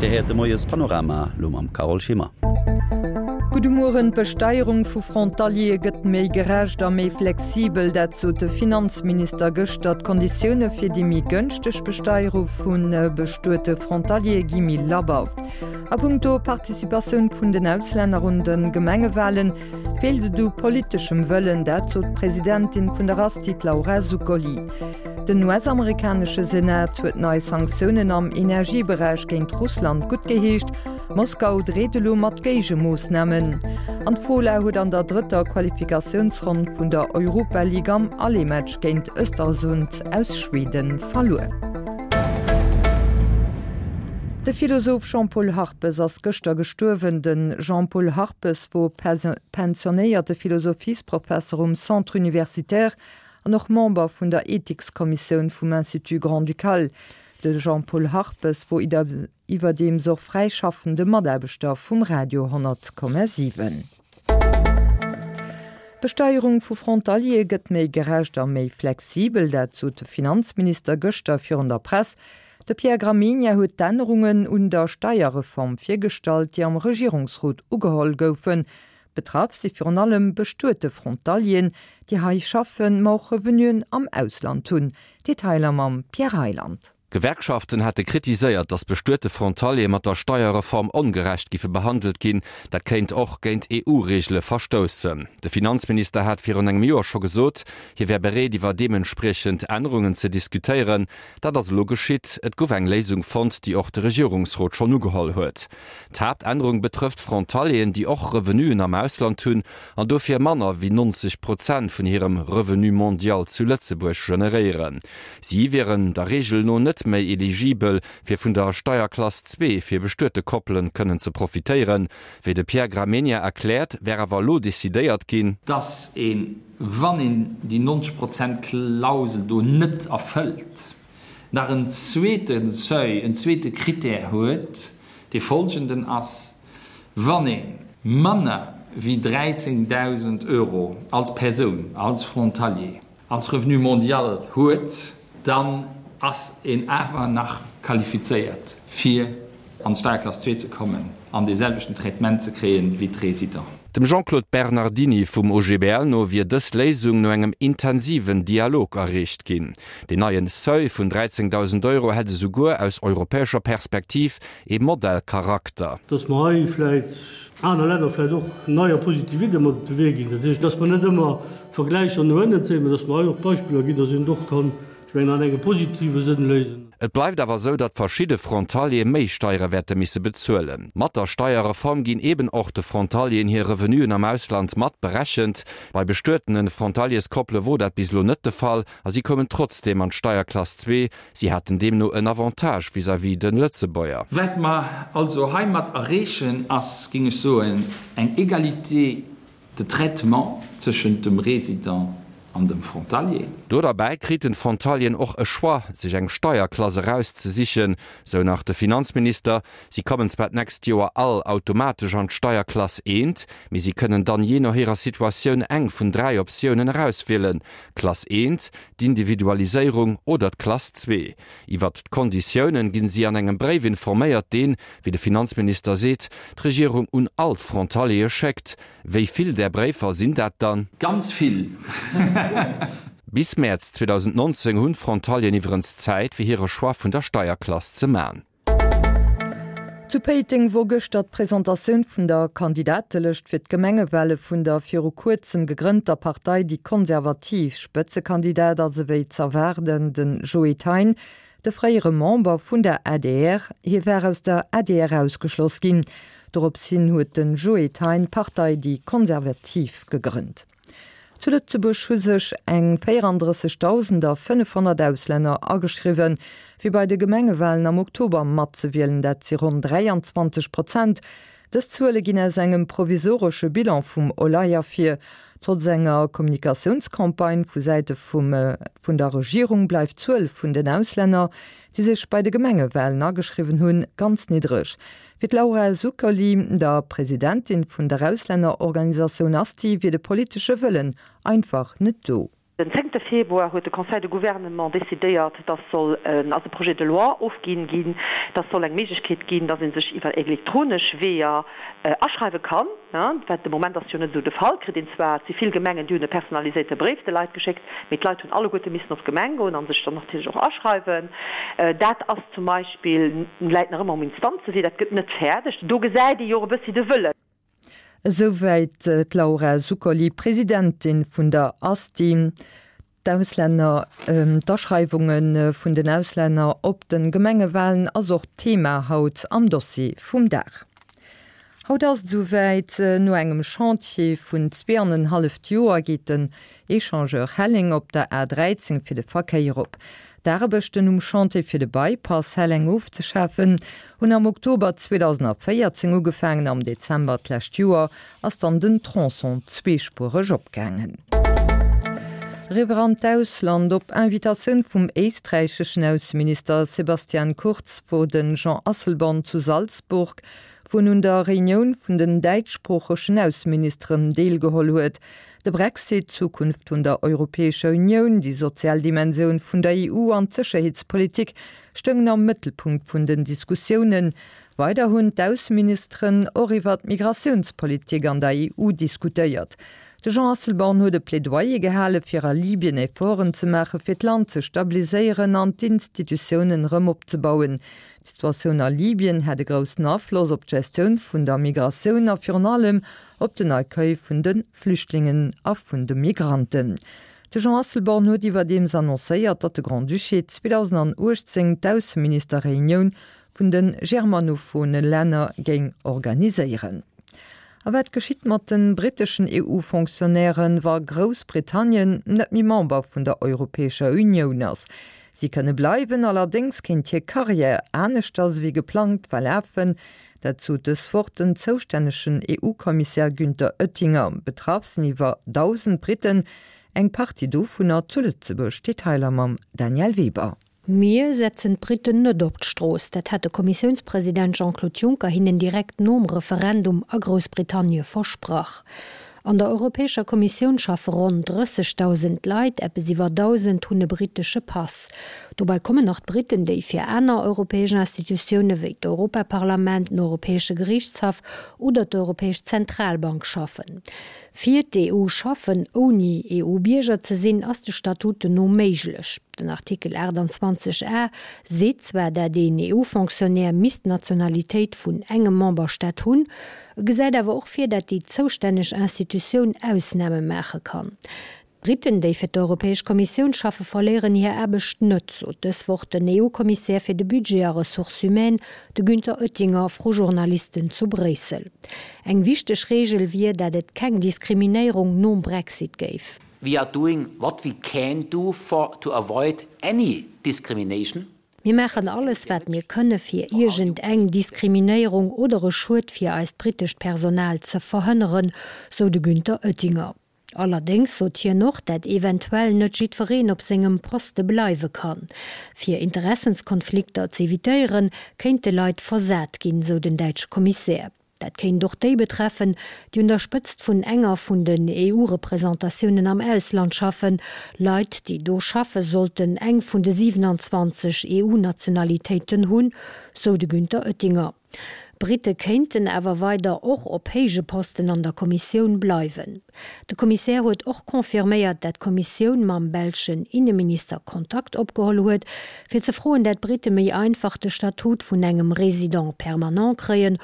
Dir héiert de Moies-Panorama, lo mam Carole Schimmer. Gudde Mueren. D'Besteierung vu Frontaliere gëtt méi gerecht a méi flexibel, dat sot de Finanzminister gëschter. D'Konditioune fir déi méi gënschteg Besteierung vu bestuete Frontaliere gi méi labber. A punkto Participatioun vun den Auslänner un de Gemengewalen feelt et u politeschem Wëllen, dat sot d'Presidentin vun der Asti, d'Laura Zuccoli. Den US-amerikanesche Senat huet nei Sanktiounen am Energieberäich géint Russland guttgeheescht. Moskau dreet elo mat Géigemoossnamen. An d'Fola huet an der drëtter Qualifikatiounsronn vun der Europa League am Aller-Match géint Östersund aus Schweden verluer. De Philosoph Jean-Paul Harpes ass gëschter gestuerwen. De Jean-Paul Harpes wor pensionéierte Philosophiesprofesser um Centre universitaire an och Member vun der Ethikskommissioun vum Institut Grand-Ducal. De Jean-Paul Harpes wor iwwerdeems och fräischaffende Mataarbechter vum Radio 100,7. D'Besteierung vu Frontaliere gëtt méi gerecht a méi flexibel, dat sot de Finanzminister gëschter virun der Press. De Pierre Gramegna huet d'Ännerungen un der Steierreform virgestallt, déi am Regierungsrot ugeholl goufen. Betraff si virun allem bestuete Frontalieren, déi hei schaffen, ma och Revenuen am Ausland hunn. Detailer mam Pierre Reyland. D'Gewerkschaften hate kritiséiert, datt bestuete Frontaliere mat der Steierreform ongerecht giffe behandelt ginn. Dat kéint och géint EU-Reegele verstoussen. De Finanzminister hat virun engem Joer scho gesot, hie wär bereet iwwer deementspriechend Ännerungen ze diskutéieren. Dat ass elo geschitt. Et gouf eng Léisung fonnt, déi och de Regierungsrot schonn ugeholl huet. D'Haaptännerung betrëfft Frontalieren, déi och Revenuen am Ausland hunn an dofir manner wéi 90 Prozent vun hirem Revenu mondial zu Lëtzebuerg generéieren. Si wieren der Reegel no net méi eligibel, fir vun der Steierklass zwee fir bestuete Koppelen kënnen ze profitéieren. Wéi de Pierre Gramegna erkläert, wär awer elo decidéiert ginn, dass een, wann een déi 90 Prozent Klausel do net erfëllt, nach en zweete Seuil, en zweete Critère huet, dee folgenden ass, Wann ee manner wéi 13.000 Euro als Persoun, als Frontalier, als Revenu mondial huet, dann ass een awer nach qualifizéiert, fir an d'Steierklass zwee ze kommen an dee selwechten Traitement ze kréien wéi d'Résidenten. Dem Jean-Claude Bernardini vum OGBL no wier dës Léisung no engem intensiven Dialog erreecht ginn. Deen neien Seuil vun 13.000 Euro hätt esouguer aus europäescher Perspektiv ee Modellcharakter. Dass mer hei vläicht aner Länner vläicht och nei a positiv Idde mat op de Wee ginn. Dat heescht, dass mer net ëmmer d'Vergläicher no ënnen zéien, mä dass mer hei och Beispiller ginn, dass een et och kann Ech mengen an engem positive Sënn léisen. Et bleift awer esou, datt verschidde Frontaliere méi Steiere wäerte misse bezuelen. Mat der Steierreform ginn eben och de Frontalieren hir Revenuen am Ausland mat berechent. Bei bestuetene Frontalierskoppele wor dat bis elo net de Fall a si koumen trotzdeem an d'Steierklass zwee. Si haten deemno en Avantage vis-à-vis de Lëtzebuerger. Wat mer also heimat erreechen, ass, géing ech soen, eng Égalité de traitement tëschent dem Résident an dem Frontalier. Do derbäi kriten d'Frontalieren och e Choix, sech eng Steierklass erauszesichen, sou nach de Finanzminister. Si kommen zwar d'nächst Joer all automatesch an d'Steierklass eent, mee si kënnen dann jee no hirer Situatioun eng vun 3 Optiounen erauswielen, Klass eent, d'Individualiséierung oder d'Klass zwee. Iwwert d'Konditiounen ginn si an engem Bréif informéiert, deen, wéi de Finanzminister seet, d'Regierung un all d'Frontaliere schéckt. Wéi vill där Bréifer sinn dat dann? Ganz vill. Bis Mäerz 2019 hunn d'Frontalieren iwwerens Zäit, fir hire Choix vun der Steierklass ze man. Zu Péiteng wor gëschter d'Presentatioun vun der Kandidatelëscht fir d'Gemengewale vun der viru kuerzem gegrënnter Partei Déi Konservativ. Spëtzekandidat ass ewéi z'erwaarden de Joe Thein, de fréiere Member vun der adr. Hie war aus der adr ausgeschloss ginn. Dorops hin huet de Joe Thein d'Partei Déi Konservativ gegrënnt. Zu Lëtzebuerg hu sech eng 34.500 Auslänner ageschriwwen, fir bei de Gemengewalen am Oktober matzewielen. Dat si ronn 23 Prozent. Dës Zuele ginn aus engem provisoresche Bilan vum OLAI ervir. Trotz enger Kommunikatiounscampagne vu Säite vum vun der Regierung bleift d'Zuel vun den Auslänner, déi sech bei de Gemengewalen ageschriwwen hunn, ganz niddreg. Fir d'Laura Zuccoli, der Presidentin vun der Auslännerorganisatioun ASTI, wier de politesche Wëllen einfach net do. Den zéngte Februar huet de Conseil de Gouvernement decidéiert, dass soll ass e Projet de loi ofginn ginn, dass soll eng Méiglechkeet ginn, dass ee sech iwwer elektronesch Weeër aschreiwe kann. Wat de Moment ass jo net esou de Fall. Kritt een zwar, et si vill Gemengen, déi hunn e personaliséierte Bréif de Leit geschéckt, mee d'Leit hunn alleguerte missen op d'Gemeng goen a sech dann natierlech och aschreiwen. Dat ass zum Beispill, läit nach ëmmer um Instanzewee, dat gëtt net fäerdeg. Do gesäit ee jo och e bëssi de Wëllen. Esouwäit d'Laura Zuccoli, Presidentin vun der Asti. D'Auslänner, d'Aschreiwunge vun den Auslänner op de Gemengewalen ass och d'Thema haut am Dossier vum Dag. Haut ass et esouwäit, No engem Chantier vun zweeanenhalleft Joer geet den Echangeur Helleng op der A 13 fir de Verkéier op. D'Aarbechten um Chantier fir de Bypass Helleng ofzeschafen hunn am Oktober 2014 ugefaangen. Am Dezember d'lescht Joer ass dann den Tronçon zweespuereg opgaangen. Eriwwer an d'Ausland, Op Invitatioun vum éisträicheschen Ausseminister Sebastian Kurz wor de Jean Asselborn zu Salzburg, wou en un der Reunioun vun den däitschsproochegen Ausseministeren deelgeholl huet. De Brexit, d'Zukunft vun der Europäescher Unioun, déi sozial Dimensioun vun der EU an d'Sécherheetspolitik stoungen am Mëttelpunkt vun den Diskussiounen. Weider hunn d'Ausseministeren och iwwer d'Migratiounspolitik an der EU diskutéiert. De Jean Asselborn huet e Plädoyer gehale fir a Libyen Efforten ze maache fir d'Land ze stabiliséieren an d'Institutiounen erëm opzebauen. D'Situatioun a Libyen hätt e groussen Afloss op d'Gestioun vun der Migratioun a virun allem op den Accueil vun de Flüchtlingen a vun de Migranten. De Jean Asselborn huet iwwerdeems annoncéiert, datt de Grand-Duché 2018 d'Ausseministerreunioun vun de germanophone Länner géing organiséieren. A wat geschitt mat de britteschen EU-Fonctionnairen, wa Groussbritannien net méi Member vun der Europäescher Unioun ass? Si kënne bleiwen, allerdéngs kéint hir Karriär aneschters ewéi geplangt verlafen. Dat sot dës Woch den zoustännegen EU-Kommissär Günther Oettinger. Betraff sinn iwwer 1.000 Britten, eng Partie dovunner zu Lëtzebuerg. Detailer mam Danièle Weber. Mir setzen d'Britten net op d'Strooss. Dat hat de Kommissiounspresident Jean-Claude Juncker hinnen direkt nom Referendum a Groussbritannie versprach. An der Europäescher Kommissioun schaffe ronn 30.000 Leit, eppes iwwer 1.000 hunn e brittesche Pass. Dobei kommen nach d'Britten, déi fir aner europäesch Institutioune wéi d'Europaparlament, den Europäesche Geriichtshaff oder d'Europäesch Zentralbank schaffen. Fir d'EU schaffen, ouni EU-Bierger ze sinn, ass de Statuten no méiglech. Den Artikel 28 a seet zwar, dat een EU-Fonctionnaire misst d'Nationalitéit vun engem Memberstaat hunn, E gesäit awer och vir, dat déi zoustänneg Institutioun Ausname maache kann. D'Britten, déi fir d'Europäesch Kommissioun schaffe, verléieren hir Aarbecht net, sot dës Woch den EU-Kommissär fir de Budget a Ressources humaines, de Günther Oettinger, vru Journalisten zu Bréissel. Eng wichteg Reegel wier, dat et keng Diskriminéierung nom Brexit géif. We are doing what we can do for to avoid any discrimination. Mir maachen alles, wat mir kënne fir iergend eng Diskriminéierung oder e Schued fir eist brittescht Personal ze verhënneren, sou de Günther Oettinger. Allerdéngs sot hien och, dat eventuell net jiddwereen op sengem Poste bleiwe kann. Fir Interessenskonflikter z'evitéieren, kéinte Leit versat ginn, sou den däitsche Kommissär. Dat kéint och déi betreffen, déi un der Spëtzt vun enger vun den EU-Representatiounen am Ausland schaffen. Leit, déi do schaffe sollten eng vun de 27 EU-Nationalitéiten hunn, sou de Günther Oettinger. Britte kéinten awer weider och op héije Posten an der Kommissioun bleiwen. De Kommissär huet och confirméiert, dat d'Kommissioun mam belschen Inneminister Kontakt opgeholl huet, fir ze froen, dat d'Britte méi einfach de Statut vun engem Résident permanent kréien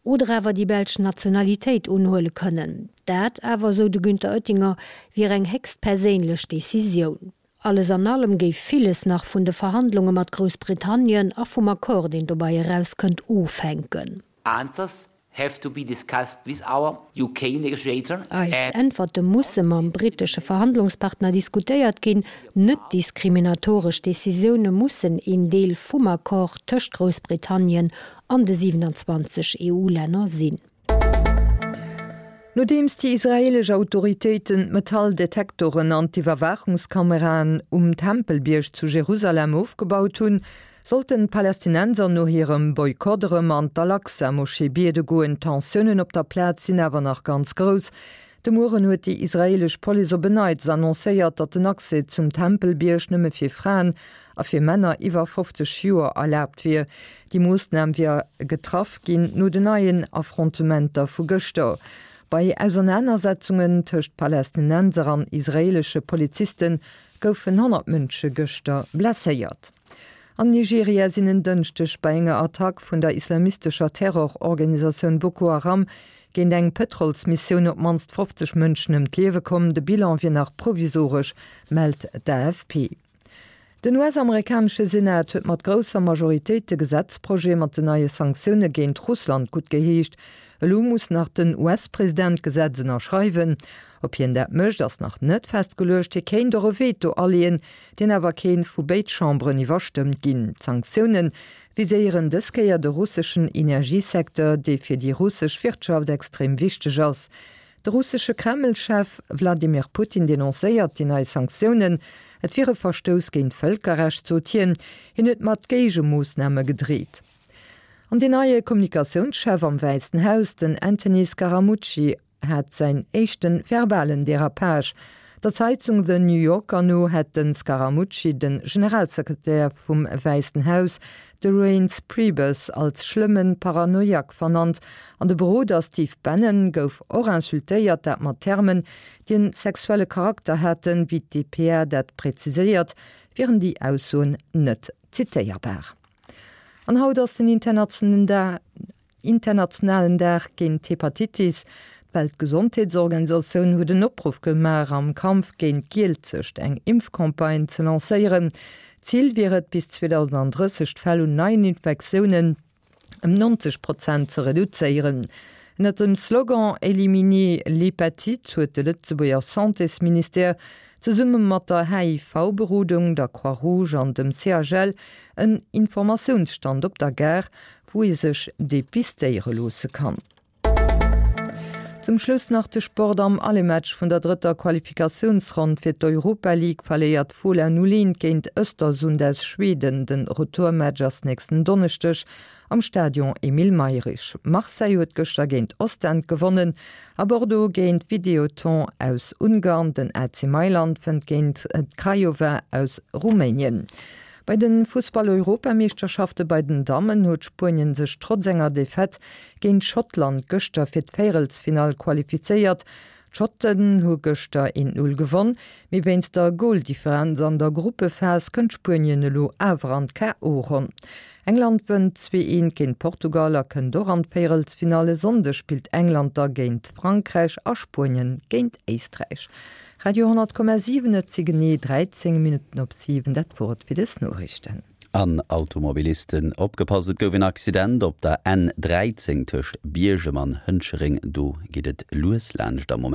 oder awer déi belsch Nationalitéit unhuele kënnen. Dat awer, sou de Günther Oettinger, wier eng héchst perséinlech Decisioun. Alles an allem géif villes nach vun de Verhandlunge mat Groussbritannien a vum Accord, deen dobei erauskënnt, ofhänken. Answers have to be discussed with our UK negotiator Eis Äntwerte musse mam brittesche Verhandlungspartner diskutéiert ginn. Net-diskriminatoresch Decisioune mussen een Deel vum Accord tëscht Groussbritannien an de 27 EU-Länner sinn. Nodeems déi israeelesch Autoritéiten d'Metalldetektoren an d'Iwwerwaachungskameraen um Tempelbierg zu Jerusalem ofgebaut hunn, sollten d'Palästinenser no hirem Boykott erëm an d'Al-Aqsa-Moschee biede goen. D'Tensiounen op der Plaz sinn awer nach ganz grouss. De Mueren huet déi israeelesch Police op en Neits annoncéiert, datt den Accès zum Tempelbierg nëmme fir Fraen a fir Männer iwwer 50 Joer erlaabt wier. Déi Moossnam wier getraff ginn no den neien Affrontementer vu gëschter. Bei Ausernanersetzungen tëscht Palästinenser an israeelesche Poliziste goufen 100 Mënsche gëschter blesséiert. Am Nigeria sinn en Dënschdeg bei enger Attack vun der islamistescher Terrororganisatioun Boko Haram géint eng Pëtrolsmissioun op d'mannst 50 Mënschen ëm d'Liewe komm. De Bilan wier nach provisoresch, mellt d'AFP. Den US-amerikanesche Senat huet mat grousser Majoritéit de Gesetzprojet mat den neie Sanktioune géint Russland guttgeheescht. Elo muss nach den US-President d'Gesetz ënnerschreiwen. Ob hien dat mécht, ass nach net festgeluecht. Hie kéint och e Veto aleeën, deen awer kéint vu béid Chamberen iwwerstëmmt ginn. D'Sanktioune viséieren dës Kéier de russeschen Energiesecteur, dee fir déi russesch Wirtschaft extrem wichteg ass. De russesche Kreml-Chef Wladimir Putin denoncéiert déi nei Sanktiounen. Et wier e Verstouss géint d'Vëlkerrecht, sot hien. Hien huet mat Géigemoossname gedreet. An deen neie Kommunikatiounschef am Wäissen Haus, den Anthony Scaramucci, hat säin éischte verbalen Derapage. Der Zeitung The New Yorker no hätt de Scaramucci de Generalsekretär vum Wäissen Haus, de Reince Priebus, als schlëmme Paranoiak vernannt an de Beroder Steve Bannon gouf och insultéiert, dat mat Termen, déi en sexuelle Charakter haten. Wéi d'DPA dat präziséiert, wieren déi Aussoen net zitéierbar. An haut ass den internationalen Internationalen Dag géint d'Hepatitis. D'Weltgesondheetsorganisatioun huet en Opruff gemaach, am Kampf géint d'Gielzecht eng Impfcampagne ze lancéieren. Zil wier et, bis 2030 d'Fäll un neien Infektiounen ëm 90 Prozent ze reduzéieren. Ënnert dem Slogan Éliminer l'hépatite huet de Lëtzebuerger Santésministère zesumme mat der HIV-Berodung, der Croix-Rouge an dem CHL en Informatiounsstand op der Gare wou ee sech depistéiere loosse kann. Zum Schluss nach de Sport, Am Allematch vun der drëtter Qualifikatiounsronn fir d'Europa League verléiert Fola 0, 1 géint Östersund aus Schweden. Den Retourmatch ass nächsten Donneschdeg am Stadion Emile Mayrisch. Marseille huet gëschter géint Ostend gewonnen a Bordeaux géint Videoton aus Ungarn. Den AC Mailand wënnt géint Craiova aus Rumänien. Bei de Fussball-Europameeschterschafte bei den Dammen huet Spuenien sech trotz enger Defaite géint Schottland gëschter fir d'Véierelsfinall qualifizéiert. D'Schotten hu gëschter 1, 0 gewonn, mee wéinst der Goldifferenz an der Gruppephas kënnt Spuenien elo awer an d'KO-Ronn. England wënnt 2, 1 géint Portugal a kënnt och an d'Véierelsfinall. E Sonndeg spillt England da géint Frankräich a Spuenien géint Éisträich. Radio 10,7, Et si genee 13 Minutten op 7. Dat wor et fir dës Noriichten. An Automobilisten opgepasst, et gouf en Accident op der N 13 tëscht Biergem an Hënchereng. Do geet et lues laanscht am Moment.